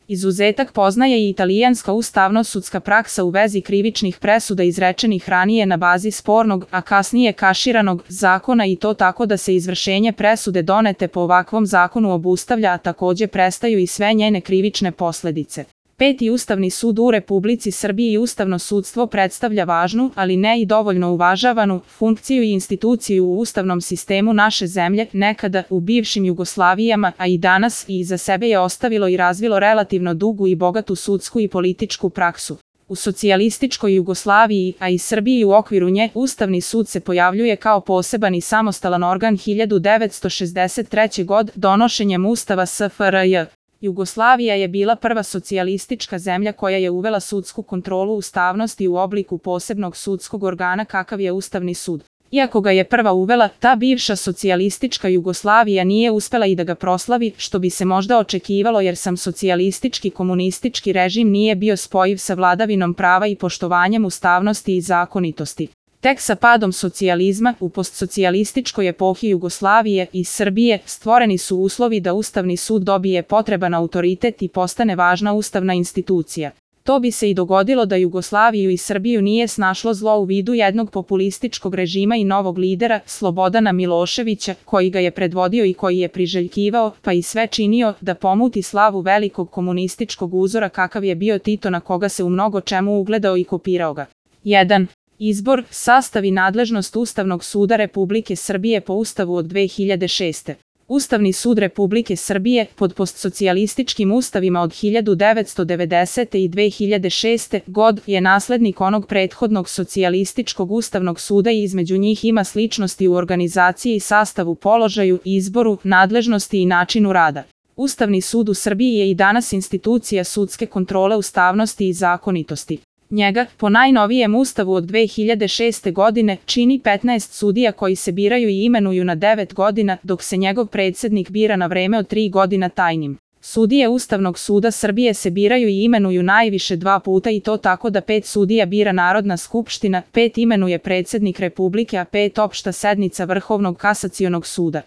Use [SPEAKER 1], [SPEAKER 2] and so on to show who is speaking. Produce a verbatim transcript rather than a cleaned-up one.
[SPEAKER 1] Izuzetak poznaje i italijanska ustavno-sudska praksa u vezi krivičnih presuda izrečenih ranije na bazi spornog, a kasnije kaširanog, zakona i to tako da se izvršenje presude donete po ovakvom zakonu obustavlja, a takođe prestaju i sve njene krivične posledice. Peti Ustavni sud u Republici Srbiji i Ustavno sudstvo predstavlja važnu, ali ne i dovoljno uvažavanu, funkciju i instituciju u ustavnom sistemu naše zemlje, nekada u bivšim Jugoslavijama, a i danas, i iza sebe je ostavilo i razvilo relativno dugu i bogatu sudsku i političku praksu. U socijalističkoj Jugoslaviji, a i Srbiji u okviru nje, Ustavni sud se pojavljuje kao poseban i samostalan organ hiljadu devetsto šezdeset treće. godine donošenjem Ustava S F R J. Jugoslavija je bila prva socijalistička zemlja koja je uvela sudsku kontrolu ustavnosti u obliku posebnog sudskog organa kakav je Ustavni sud. Iako ga je prva uvela, ta bivša socijalistička Jugoslavija nije uspela i da ga proslavi, što bi se možda očekivalo jer sam socijalistički komunistički režim nije bio spojiv sa vladavinom prava i poštovanjem ustavnosti i zakonitosti. Tek sa padom socijalizma u postsocijalističkoj epohi Jugoslavije i Srbije stvoreni su uslovi da Ustavni sud dobije potreban autoritet i postane važna ustavna institucija. To bi se i dogodilo da Jugoslaviju i Srbiju nije snašlo zlo u vidu jednog populističkog režima i novog lidera, Slobodana Miloševića, koji ga je predvodio i koji je priželjkivao, pa i sve činio, da pomuti slavu velikog komunističkog uzora kakav je bio Tito na koga se u mnogo čemu ugledao i kopirao ga. jedan. Izbor, sastav i nadležnost Ustavnog suda Republike Srbije po Ustavu od dve hiljade šeste. Ustavni sud Republike Srbije, pod postsocijalističkim ustavima od hiljadu devetsto devedesete. i dve hiljade šeste. godine, je naslednik onog prethodnog socijalističkog Ustavnog suda i između njih ima sličnosti u organizaciji i sastavu, položaju, izboru, nadležnosti i načinu rada. Ustavni sud u Srbiji je i danas institucija sudske kontrole ustavnosti i zakonitosti. Njega, po najnovijem ustavu od dve hiljade šeste. godine, čini petnaest sudija koji se biraju i imenuju na devet godina, dok se njegov predsednik bira na vreme od tri godina tajnim. Sudije Ustavnog suda Srbije se biraju i imenuju najviše dva puta i to tako da pet sudija bira Narodna skupština, pet imenuje predsednik Republike, a pet opšta sednica Vrhovnog kasacionog suda.